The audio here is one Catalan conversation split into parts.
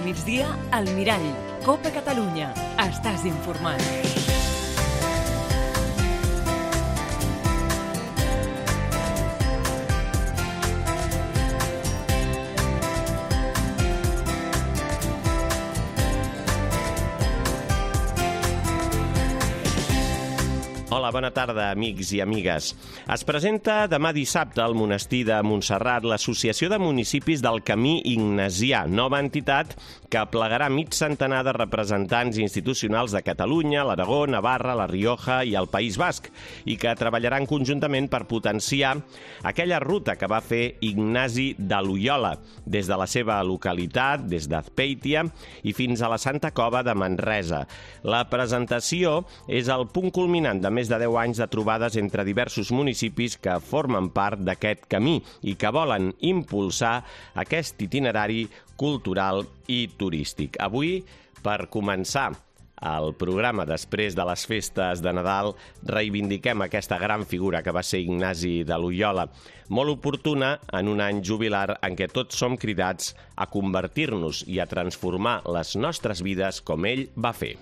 migdia, al Mirall. Copa Catalunya. Estàs informat. Hola, bona tarda, amics i amigues. Es presenta demà dissabte al monestir de Montserrat l'Associació de Municipis del Camí Ignasià, nova entitat que aplegarà mig centenar de representants institucionals de Catalunya, l'Aragó, Navarra, la Rioja i el País Basc, i que treballaran conjuntament per potenciar aquella ruta que va fer Ignasi de Loiola, des de la seva localitat, des d'Azpeitia i fins a la Santa Cova de Manresa. La presentació és el punt culminant de més de 10 anys de trobades entre diversos municipis que formen part d'aquest camí i que volen impulsar aquest itinerari cultural i turístic. Avui, per començar el programa després de les festes de Nadal, reivindiquem aquesta gran figura que va ser Ignasi de Loiola, molt oportuna en un any jubilar en què tots som cridats a convertir-nos i a transformar les nostres vides com ell va fer.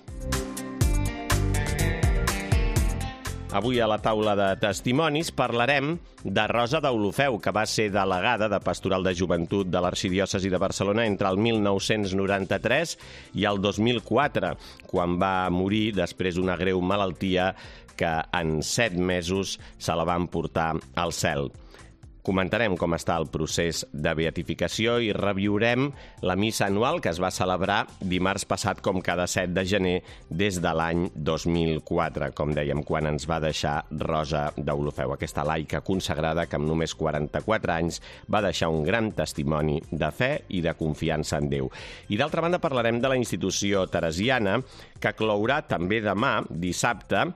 Avui a la taula de testimonis parlarem de Rosa Deulofeu, que va ser delegada de Pastoral de Joventut de l'Arxidiòcesi de Barcelona entre el 1993 i el 2004, quan va morir després d'una greu malaltia que en 7 mesos se la van portar al cel. Comentarem com està el procés de beatificació i reviurem la missa anual que es va celebrar dimarts passat com cada 7 de gener des de l'any 2004, com dèiem, quan ens va deixar Rosa Deulofeu, aquesta laica consagrada que amb només 44 anys va deixar un gran testimoni de fe i de confiança en Déu. I d'altra banda parlarem de la institució teresiana, que clourà també demà, dissabte,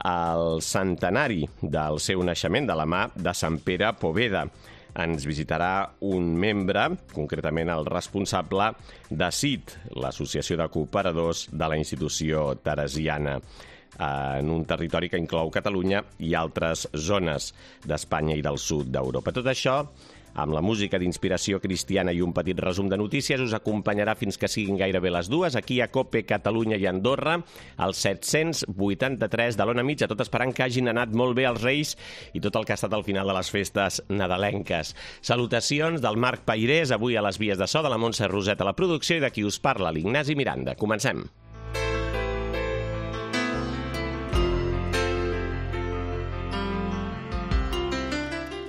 el centenari del seu naixement de la mà de Sant Pere Poveda. Ens visitarà un membre, concretament el responsable de CIT, l'Associació de Cooperadors de la institució teresiana, en un territori que inclou Catalunya i altres zones d'Espanya i del sud d'Europa. Tot això, amb la música d'inspiració cristiana i un petit resum de notícies, us acompanyarà fins que siguin gairebé les 2, aquí a Cope Catalunya i Andorra, al 783 de l'Ona Mitja, tot esperant que hagin anat molt bé els Reis i tot el que ha estat al final de les festes nadalenques. Salutacions del Marc Pairés, avui a les vies de so, de la Montse Roset a la producció i de qui us parla, l'Ignasi Miranda. Comencem.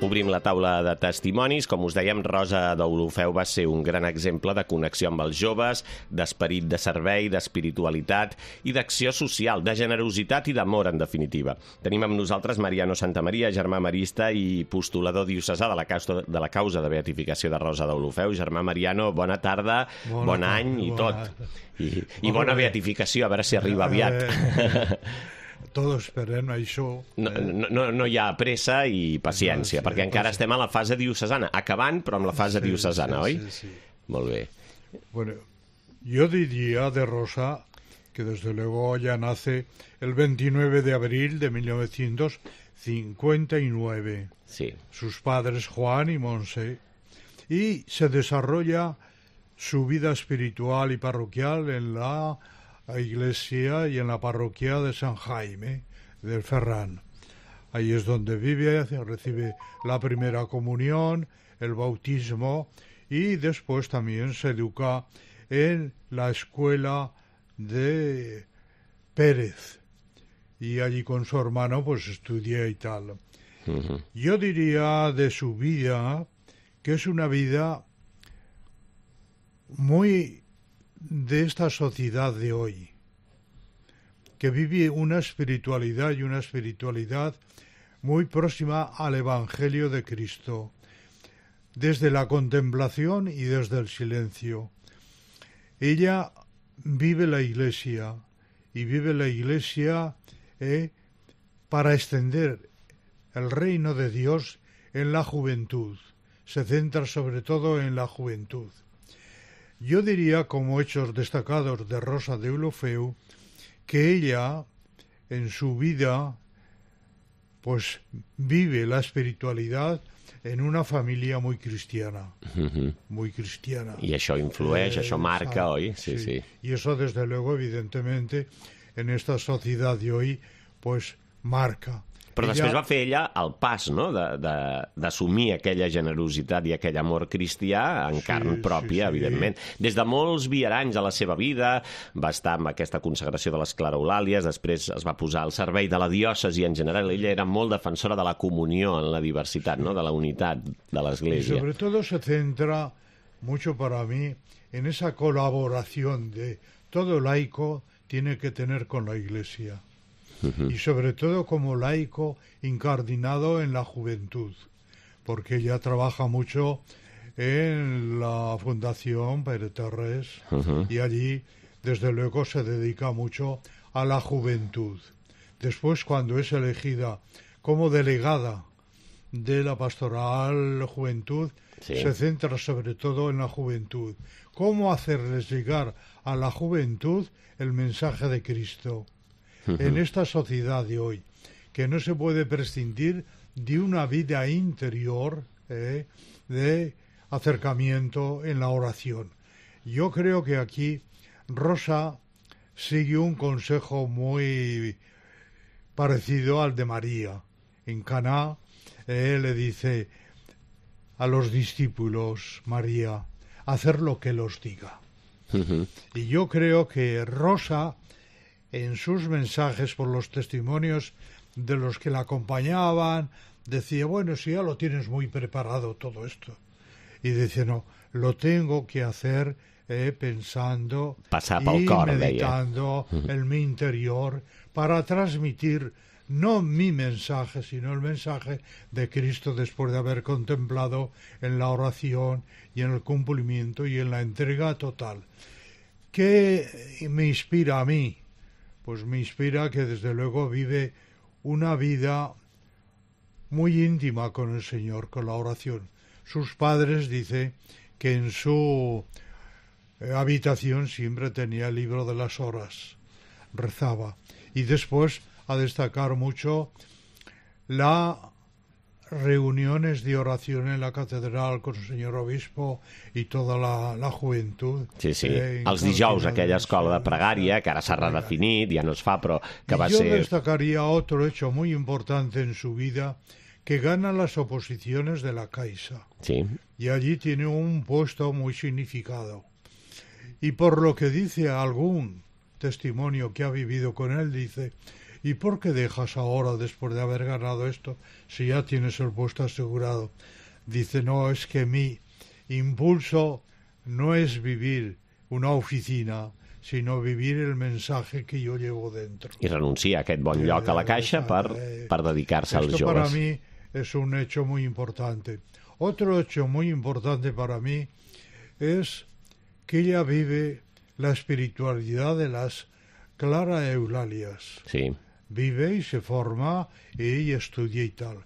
Obrim la taula de testimonis. Com us dèiem, Rosa Deulofeu va ser un gran exemple de connexió amb els joves, d'esperit de servei, d'espiritualitat i d'acció social, de generositat i d'amor, en definitiva. Tenim amb nosaltres Mariano Santamaria, germà marista i postulador diocesà de la causa de beatificació de Rosa Deulofeu. Germà Mariano, bona tarda, bon any i tot. I bona beatificació, a veure si arriba aviat. Tots esperem això. No hi ha pressa i paciència, perquè encara estem a la fase diocesana, acabant, però amb la fase diocesana, oi? Sí. Molt bé. Bueno, yo diría de Rosa que desde luego ella nace el 29 de abril de 1959. Sí. Sus padres Juan y Monse. Y se desarrolla su vida espiritual y parroquial en la iglesia y en la parroquia de San Jaime del Ferran. Ahí es donde vive, recibe la primera comunión, el bautismo y después también se educa en la escuela de Pérez y allí con su hermano pues estudia y tal. Uh-huh. Yo diría de su vida que es una vida muy de esta sociedad de hoy, que vive una espiritualidad muy próxima al Evangelio de Cristo, desde la contemplación y desde el silencio. Ella vive la Iglesia para extender el reino de Dios en la juventud. Se centra sobre todo en la juventud. Yo diría, como hechos destacados de Rosa Deulofeu, que ella, en su vida, pues vive la espiritualidad en una familia muy cristiana, muy cristiana. I això influeix, això marca, oi? Sí. Y eso, desde luego, evidentemente, en esta sociedad de hoy, pues marca. Però després va fer ella el pas, no?, d'assumir aquella generositat i aquell amor cristià en carn pròpia, evidentment. Des de molts viaranys a la seva vida, va estar amb aquesta consagració de les Clareolàlies, després es va posar al servei de la diòcesi en general. Ella era molt defensora de la comunió en la diversitat, no?, de la unitat de l'Església. Y sobre todo se centra mucho para mí en esa colaboración de todo laico tiene que tener con la Iglesia. Y sobre todo como laico incardinado en la juventud, porque ella trabaja mucho en la Fundación Pere Terrés y allí, desde luego, se dedica mucho a la juventud. Después, cuando es elegida como delegada de la Pastoral Juventud, se centra sobre todo en la juventud. ¿Cómo hacerles llegar a la juventud el mensaje de Cristo? En esta sociedad de hoy, que no se puede prescindir de una vida interior de acercamiento en la oración. Yo creo que aquí Rosa sigue un consejo muy parecido al de María. En Caná le dice a los discípulos, María, hacer lo que los diga. Y yo creo que Rosa, en sus mensajes, por los testimonios de los que la acompañaban, decía, bueno, si ya lo tienes muy preparado todo esto. Y dice, no, lo tengo que hacer pensando y meditando en mi interior para transmitir no mi mensaje, sino el mensaje de Cristo después de haber contemplado en la oración y en el cumplimiento y en la entrega total. ¿Qué me inspira a mí? Pues me inspira que desde luego vive una vida muy íntima con el Señor, con la oración. Sus padres, dice, que en su habitación siempre tenía el libro de las horas, rezaba. Y después a destacar mucho las reuniones de oración en la catedral con el señor obispo i tota la juventud. Sí, sí. Els dijous, aquella escola de pregària, que ara s'ha redefinit, ja no es fa, però que va ser... Yo destacaría otro hecho muy importante en su vida, que gana las oposiciones de la Caixa. Sí. Y allí tiene un puesto muy significado. Y por lo que dice algún testimonio que ha vivido con él, dice... ¿Y por qué dejas ahora, después de haber ganado esto, si ya tienes el puesto asegurado? Dice, no, es que mi impulso no es vivir una oficina, sino vivir el mensaje que yo llevo dentro. I renuncia a aquest bon lloc a la Caixa per dedicar-se als joves. Esto para mí es un hecho muy importante. Otro hecho muy importante para mí es que ella vive la espiritualidad de las Clara Eulalias. Sí. Vive y se forma y estudia y tal.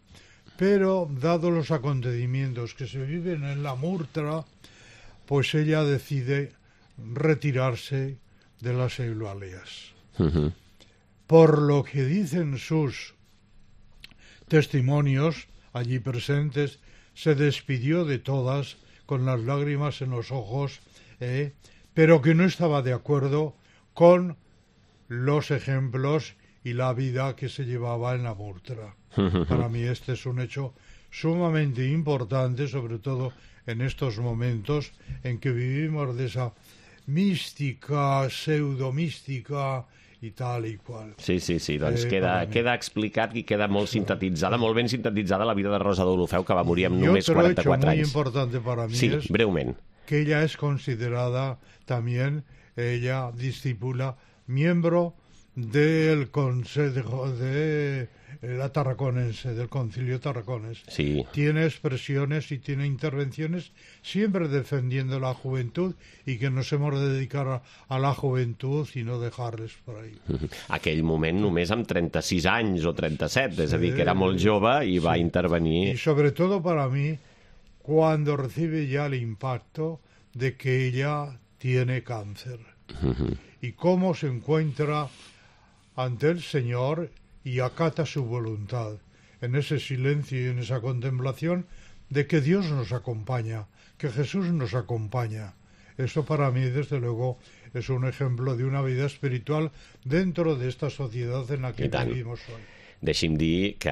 Pero, dado los acontecimientos que se viven en la Murtra, pues ella decide retirarse de las Eulalias. Por lo que dicen sus testimonios allí presentes, se despidió de todas con las lágrimas en los ojos, pero que no estaba de acuerdo con los ejemplos y la vida que se llevaba en la Murtra. Para mí este es un hecho sumamente importante, sobre todo en estos momentos en que vivimos de esa mística, pseudomística i tal i qual. Sí, sí, sí, doncs queda explicat i queda molt sintetitzada, molt ben sintetitzada la vida de Rosa Deulofeu, que va morir amb només 44 anys. Y otro hecho muy importante para mí es breument, que ella es considerada también, ella discípula, miembro del Consejo de la Tarraconense, del Concilio Tarraconense. Sí. Tiene expresiones y tiene intervenciones siempre defendiendo la juventud y que nos hemos de dedicar a la juventud y no dejarles por ahí. Aquell moment només amb 36 anys o 37, és a dir, que era molt jove i va intervenir. Y sobre todo para mí, cuando recibe ya el impacto de que ella tiene cáncer. Y cómo se encuentra ante el Señor y acata su voluntad. En ese silencio y en esa contemplación de que Dios nos acompaña, que Jesús nos acompaña. Eso para mí, desde luego, es un ejemplo de una vida espiritual dentro de esta sociedad en la que vivimos hoy. Deixi'm dir que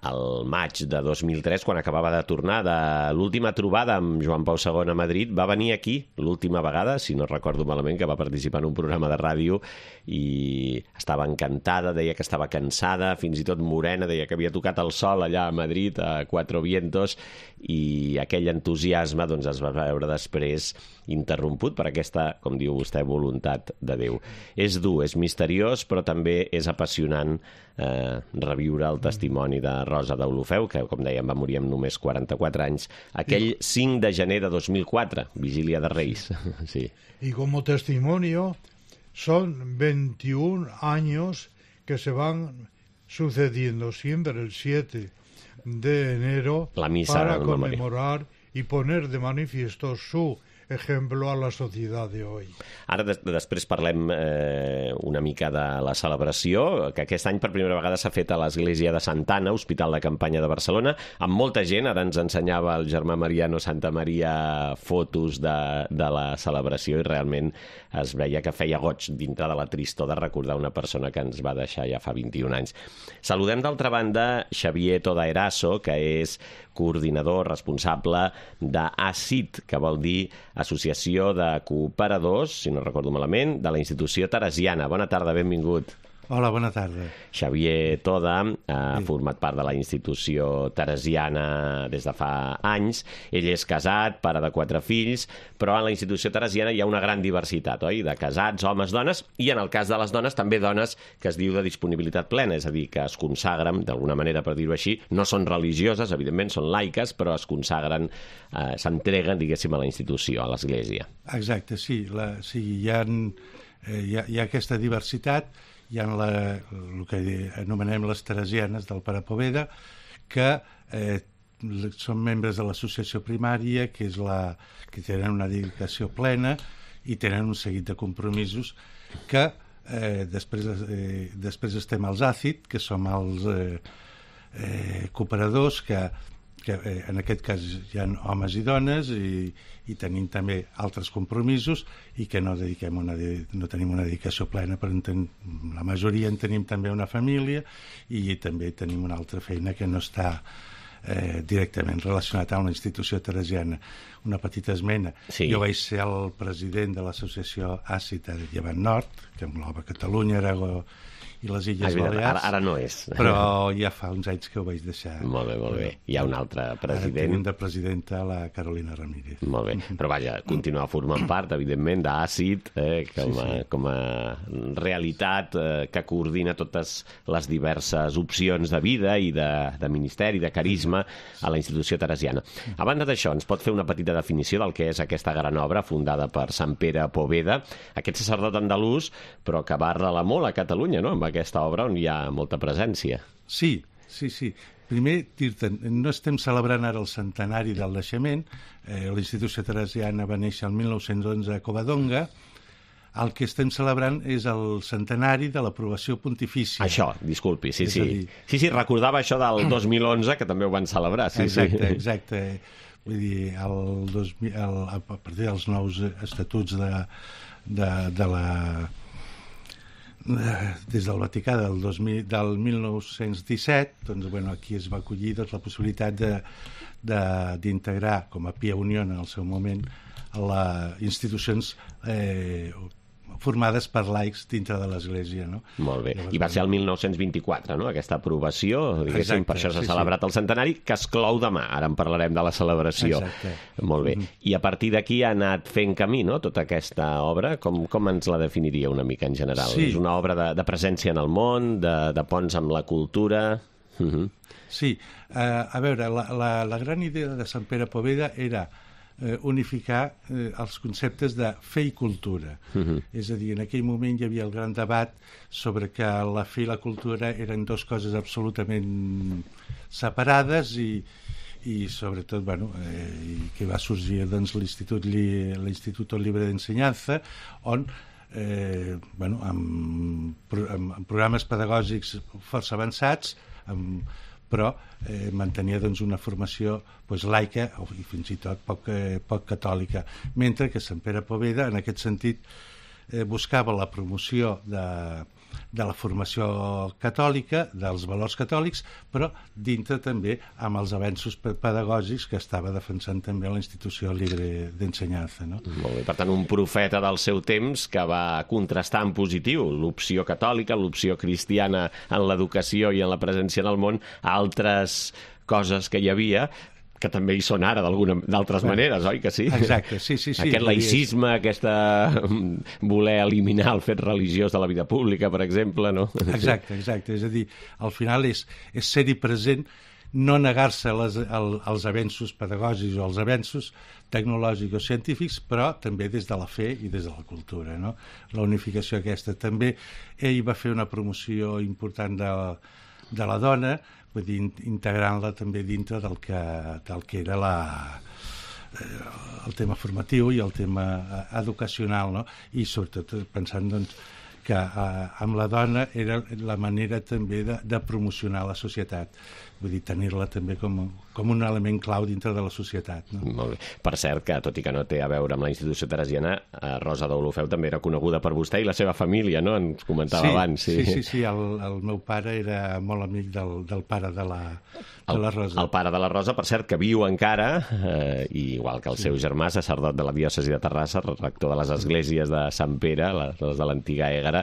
al maig de 2003, quan acabava de tornar de l'última trobada amb Joan Pau II a Madrid, va venir aquí l'última vegada, si no recordo malament, que va participar en un programa de ràdio i estava encantada, deia que estava cansada, fins i tot morena, deia que havia tocat el sol allà a Madrid, a Cuatro Vientos, i aquell entusiasme doncs, es va veure després interromput per aquesta, com diu vostè, voluntat de Déu. És dur, és misteriós, però també és apassionant reviure el testimoni de Rosa Deulofeu, que, com dèiem, va morir amb només 44 anys, aquell 5 de gener de 2004, Vigília de Reis. Sí. Y como testimonio, son 21 años que se van sucediendo siempre el 7 de enero la misa para conmemorar y poner de manifiesto su ejemplo a la societat de hoy. Ara després parlem una mica de la celebració, que aquest any per primera vegada s'ha fet a l'Església de Santa Anna, Hospital de Campanya de Barcelona, amb molta gent. Ara ens ensenyava el germà Mariano Santamaria fotos de la celebració i realment es veia que feia goig dintre de la tristor de recordar una persona que ens va deixar ja fa 21 anys. Saludem d'altra banda Xavier Todaeraso, que és coordinador responsable d'ACIT, que vol dir Associació de Cooperadors, si no recordo malament, de la institució teresiana. Bona tarda, benvingut. Hola, bona tarda. Xavier Toda ha format part de la institució teresiana des de fa anys. Ell és casat, pare de 4 fills, però en la institució teresiana hi ha una gran diversitat, oi? De casats, homes, dones, i en el cas de les dones també dones que es diu de disponibilitat plena, és a dir, que es consagren, d'alguna manera per dir-ho així, no són religioses, evidentment són laiques, però es consagren, s'entreguen, diguéssim, a la institució, a l'església. Exacte, sí. Hi ha aquesta diversitat. Hi ha el que anomenem les teresianes del Pare Poveda, que són membres de l'associació primària, que tenen una dedicació plena i tenen un seguit de compromisos que després estem als ACIT, que som els cooperadors, que en aquest cas hi ha homes i dones i tenim també altres compromisos i que no tenim una dedicació plena, però la majoria en tenim també una família i també tenim una altra feina que no està directament relacionat amb la institució teresiana. Una petita esmena. Sí. Jo vaig ser el president de l'associació ACIT a Llevant Nord, que engloba Catalunya, Aragó i les Illes Balears. Ara no és. Però ja fa uns anys que ho vaig deixar. Molt bé, molt bé. Hi ha un altre president. Ara tenim de presidenta la Carolina Ramírez. Molt bé. Però vaja, continua formant part, evidentment, d'ACIT, com a realitat que coordina totes les diverses opcions de vida i de ministeri, de carisma a la institució teresiana. A banda d'això, ens pot fer una petita definició del que és aquesta gran obra fundada per Sant Pere Poveda, aquest sacerdot andalús, però que va arrelar molt a Catalunya, no?, amb aquesta obra on hi ha molta presència. Sí. Primer, dir-te, no estem celebrant ara el centenari del naixement. La institució teresiana va néixer el 1911 a Covadonga. El que estem celebrant és el centenari de l'aprovació pontifícia. Això, disculpi, sí. Sí, recordava això del 2011, que també ho van celebrar. Exacte. Vull dir, a partir dels nous estatuts des del Vaticà del 1917, doncs, aquí es va acollir la possibilitat d'integrar com a Pia Unió en el seu moment les institucions formades per laics dintre de l'Església, no? Molt bé. I va ser el 1924, no?, aquesta aprovació, diguéssim. Exacte, per això s'ha celebrat el centenari, que es clou demà. Ara en parlarem de la celebració. Exacte. Molt bé. I a partir d'aquí ha anat fent camí, no?, tota aquesta obra. Com ens la definiria una mica en general? Sí. És una obra de presència en el món, de ponts amb la cultura... Sí. A veure, la gran idea de Sant Pere Poveda era unificar els conceptes de fe i cultura. És a dir, en aquell moment hi havia el gran debat sobre que la fe i la cultura eren dues coses absolutament separades i sobretot, que va sorgir l'Instituto Libre d'Ensenyança, on amb programes pedagògics força avançats, amb però mantenia doncs, una formació laica i fins i tot poc catòlica, mentre que Sant Pere Poveda en aquest sentit buscava la promoció de la formació catòlica, dels valors catòlics, però dintre també amb els avenços pedagògics que estava defensant també la institució libre d'ensenyança. No? Molt bé, per tant, un profeta del seu temps que va contrastar en positiu l'opció catòlica, l'opció cristiana en l'educació i en la presència en el món, altres coses que hi havia que també hi són ara d'altres maneres, oi que sí? Exacte, sí. Aquest laïcisme, aquesta voler eliminar el fet religiós de la vida pública, per exemple, no? Exacte, és a dir, al final és ser-hi present, no negar-se als avenços pedagògics o als avenços tecnològics o científics, però també des de la fe i des de la cultura, no? La unificació aquesta. També ell va fer una promoció important de la dona, vull dir, integrant-la també dintre del que era el tema formatiu i el tema educacional, no? I sobretot pensant doncs, que amb la dona era la manera també de promocionar la societat, vull dir, tenir-la també com un element clau dintre de la societat. No? Molt bé. Per cert, que tot i que no té a veure amb la institució teresiana, Rosa d'Olofeu també era coneguda per vostè i la seva família, no? Ens comentava abans. Sí, el meu pare era molt amic del pare de la Rosa. El pare de la Rosa, per cert, que viu encara, igual que el seu germà, sacerdot de la diòcesi de Terrassa, rector de les esglésies de Sant Pere, les de l'antiga Ègara,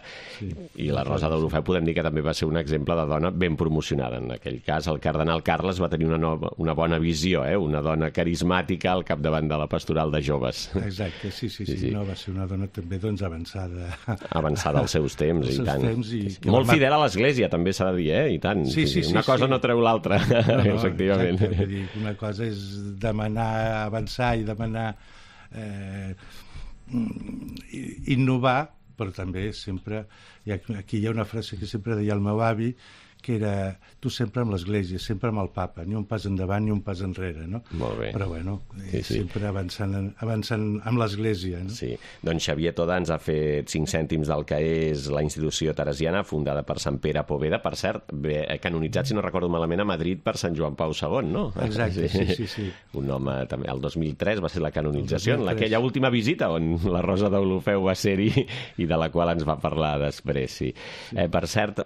i la Rosa d'Olofeu podem dir que també va ser un exemple de dona ben promocionada. En aquell cas, el cardenal Carles va tenir una bona visió, una dona carismàtica al capdavant de la pastoral de joves. Exacte, sí. No, va ser una dona també doncs, avançada. Avançada als seus temps, i tant. Molt fidel a l'Església, també s'ha de dir, i tant. Una cosa no treu l'altra, efectivament. Exacte, una cosa és demanar avançar i demanar innovar, però també sempre, aquí hi ha una frase que sempre deia el meu avi, que era tu sempre amb l'Església, sempre amb el papa, ni un pas endavant ni un pas enrere, no? Molt bé. Però bueno, sempre avançant amb l'Església, no? Sí, doncs Xavier Toda ens ha fet 5 cèntims del que és la institució teresiana fundada per Sant Pere Poveda, per cert, canonitzat, si no recordo malament, a Madrid per Sant Joan Pau II, no? Exacte, sí. Un home, també, el 2003 va ser la canonització, en aquella última visita on la Rosa d'Olofeu va ser-hi i de la qual ens va parlar després, sí. Per cert,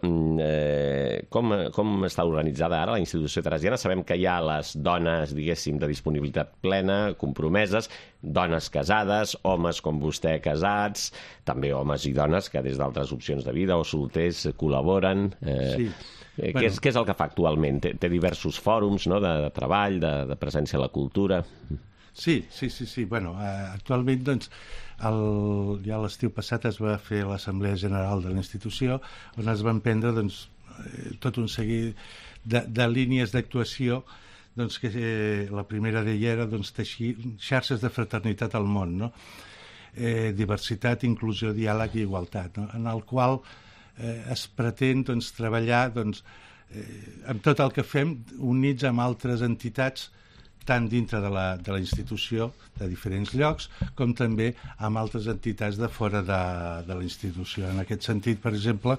com està organitzada ara la institució teresiana? Sabem que hi ha les dones, diguéssim, de disponibilitat plena, compromeses, dones casades, homes com vostè casats, també homes i dones que des d'altres opcions de vida o solters col·laboren. Què és el que fa actualment? Té diversos fòrums, no?, de treball, de presència a la cultura. Sí. Bueno, actualment, doncs, ja l'estiu passat es va fer l'Assemblea General de la institució, on es van prendre, doncs, tot un seguit de línies d'actuació, doncs, que la primera d'ella era doncs, teixir xarxes de fraternitat al món, no? Diversitat, inclusió, diàleg i igualtat, no? En el qual es pretén doncs, treballar doncs, amb tot el que fem units amb altres entitats, tant dintre de la institució de diferents llocs, com també amb altres entitats de fora de la institució. En aquest sentit, per exemple,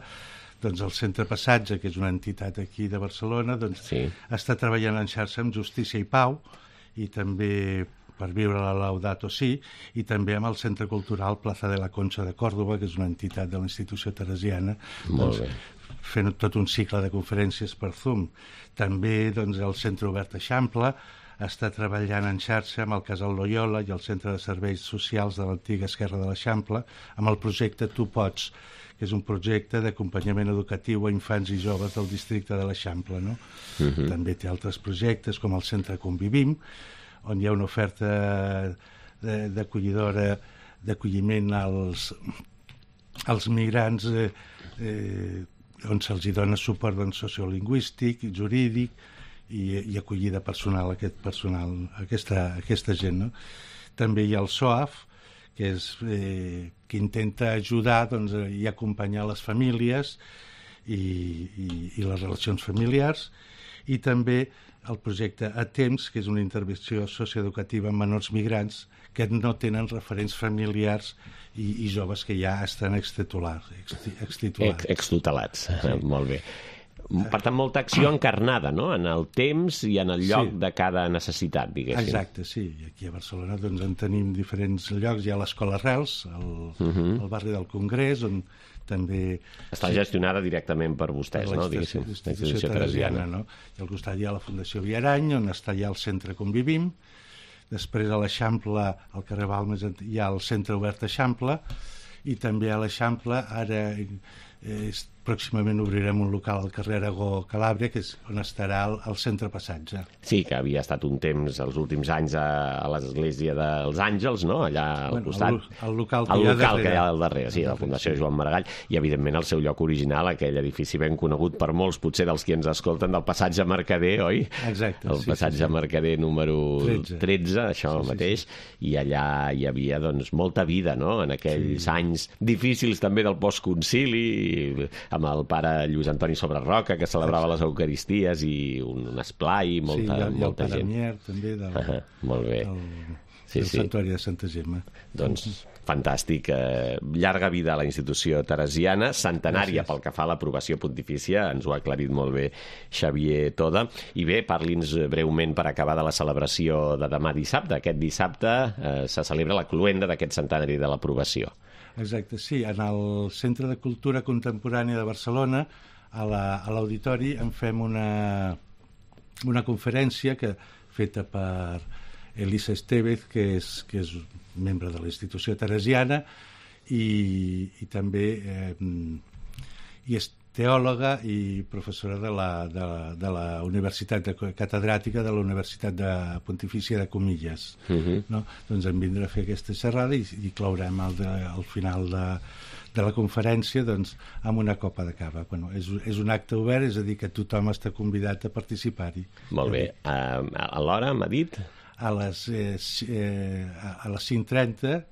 doncs el Centre Passatge, que és una entitat aquí de Barcelona, doncs està treballant en xarxa amb Justícia i Pau, i també per viure la Laudato Si, i també amb el Centre Cultural Plaza de la Concha de Córdoba, que és una entitat de la institució teresiana, doncs, fent tot un cicle de conferències per Zoom. També doncs, el Centre Obert Eixample està treballant en xarxa amb el Casal Loyola i el Centre de Serveis Socials de l'antiga Esquerra de l'Eixample, amb el projecte Tu Pots, que és un projecte d'acompanyament educatiu a infants i joves del districte de l'Eixample, no? També té altres projectes, com el Centre Convivim, on hi ha una oferta d'acolliment als migrants, on se'ls dona suport sociolingüístic, jurídic i acollida personal a aquesta gent, no? També hi ha el SOAF, que intenta ajudar doncs, i acompanyar les famílies i les relacions familiars, i també el projecte A Temps, que és una intervenció socioeducativa amb menors migrants que no tenen referents familiars i joves que ja estan extutelats. Extutelats, molt bé. Per tant, molta acció encarnada, no?, en el temps i en el lloc de cada necessitat, diguéssim. Exacte, sí. I aquí a Barcelona doncs, en tenim diferents llocs. Hi ha l'Escola Arrels, al barri del Congrés, on també... Està gestionada directament per vostès, no?, diguéssim, la institució teresiana. No? I al costat hi ha la Fundació Viarany, on està ja el centre Convivim. Després a l'Eixample, al carrer Balmes, hi ha el centre obert Eixample, i també a l'Eixample ara pròximament obrirem un local al carrer Aragó Calàbria, que és on estarà el centre Passatge. Sí, que havia estat un temps, els últims anys, a l'església dels Àngels, no?, allà al costat. El local que hi ha al darrere, sí, la Fundació Joan Maragall, i evidentment el seu lloc original, aquell edifici ben conegut per molts, potser dels qui ens escolten, del passatge Mercader, oi? Exacte. El passatge Mercader número 13, això mateix, i allà hi havia doncs molta vida, no?, en aquells anys difícils també del postconcili, amb el pare Lluís Antoni Sobreroca, que celebrava les Eucaristies, i un esplai, molta gent. I el pare Mier, també, molt bé. Del Santuari de Santa Gemma. Doncs fantàstic. Llarga vida a la institució teresiana, centenària pel que fa a l'aprovació pontifícia, ens ho ha aclarit molt bé Xavier Toda. I bé, parli'ns breument per acabar de la celebració de demà dissabte. Aquest dissabte se celebra la cloenda d'aquest centenari de l'aprovació. Exacte, sí. En el Centre de Cultura Contemporània de Barcelona, a l'auditori, en fem una conferència feta per Elisa Estevez, que és membre de la institució teresiana, i també i és teòloga i professora de la Universitat catedràtica de la Universitat Pontifícia de Comillas. No? Doncs em vindrà a fer aquesta xerrada i clourem al final de la conferència doncs, amb una copa de cava. Bueno, és un acte obert, és a dir, que tothom està convidat a participar-hi. Molt bé. A l'hora, m'ha dit? A les 5:30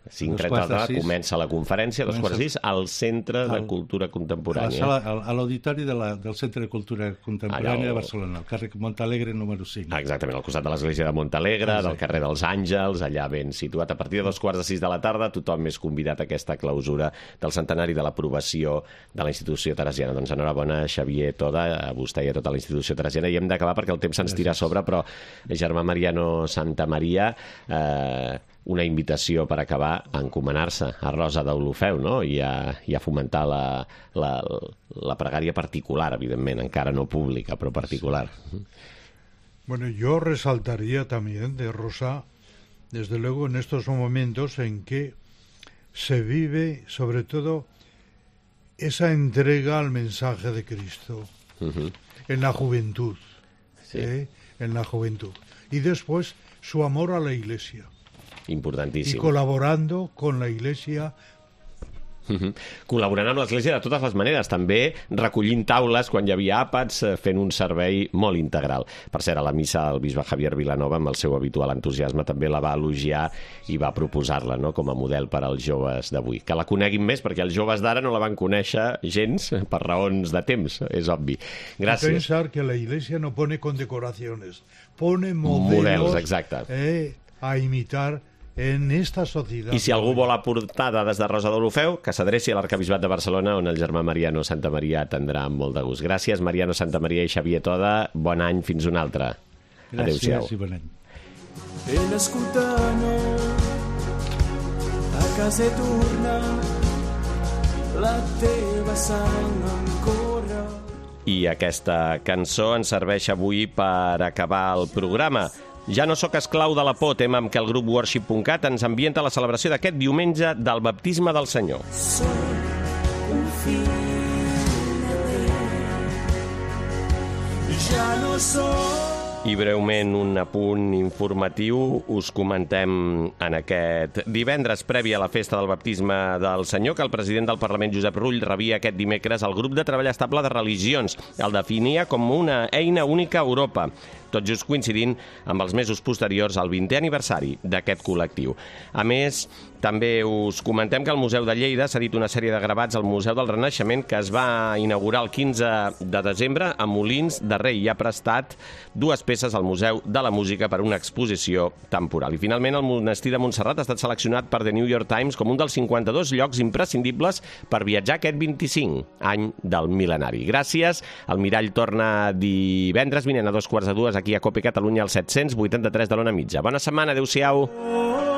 comença la conferència, 2:15, al Centre de Cultura Contemporània. A l'auditori del Centre de Cultura Contemporània de Barcelona, al carrer Montalegre número 5. Exactament, al costat de l'església de Montalegre, del carrer dels Àngels, allà ben situat. A partir de 5:15 de la tarda, tothom és convidat a aquesta clausura del centenari de l'aprovació de la institució teresiana. Doncs enhorabona, Xavier Toda, a vostè i a tota la institució teresiana. I hem d'acabar perquè el temps se'ns tira a sobre, però germà Mariano Santa Maria, una invitació per acabar a encomanar-se a Rosa d'Olofeu, no?, i a fomentar la pregària particular, evidentment, encara no pública, però particular. Bueno, yo resaltaría también de Rosa, desde luego, en estos momentos en que se vive, sobre todo, esa entrega al mensaje de Cristo en la juventud, en la juventud. Y después su amor a la Iglesia. Importantíssim. Y colaborando con la Iglesia. Col·laborant amb l'Església de totes les maneres, també recollint taules quan hi havia àpats, fent un servei molt integral. Per cert, a la missa el bisbe Javier Vilanova, amb el seu habitual entusiasme, també la va elogiar i va proposar-la, no?, com a model per als joves d'avui. Que la coneguin més, perquè els joves d'ara no la van conèixer gens per raons de temps, és obvi. Gràcies. Pensar que la Iglesia no pone condecoraciones, pone modelos exacte. A imitar en esta societat. I si algú vol aportar dades de Rosa d'Olofeu, que s'adreci a l'Arquebisbat de Barcelona, on el germà Mariano Santa Maria atendrà amb molt de gust. Gràcies, Mariano Santa Maria i Xavier Toda. Bon any, fins un altre. Gràcies i bon any. Ell escoltano a casa torna la teva sang ancora. I aquesta cançó ens serveix avui per acabar el programa. Ja no sóc esclau de la por, tema amb què el grup Worship.cat ens ambienta a la celebració d'aquest diumenge del baptisme del Senyor. Soc un fill de Déu, ja no soc. I breument un apunt informatiu us comentem en aquest divendres previ a la festa del baptisme del Senyor que el president del Parlament, Josep Rull, rebia aquest dimecres el grup de treball estable de religions. El definia com una eina única a Europa. tot just coincidint amb els mesos posteriors al 20è aniversari d'aquest col·lectiu. A més, també us comentem que al Museu de Lleida s'ha dit una sèrie de gravats al Museu del Renaixement que es va inaugurar el 15 de desembre a Molins de Rei i ha prestat 2 peces al Museu de la Música per una exposició temporal. I finalment el monestir de Montserrat ha estat seleccionat per The New York Times com un dels 52 llocs imprescindibles per viatjar aquest 25 any del mil·lenari. Gràcies. El Mirall torna divendres vinent a 2:15 aquí a COPE Catalunya al 783 de l'Ona Mitja. Bona setmana, adeu-siau.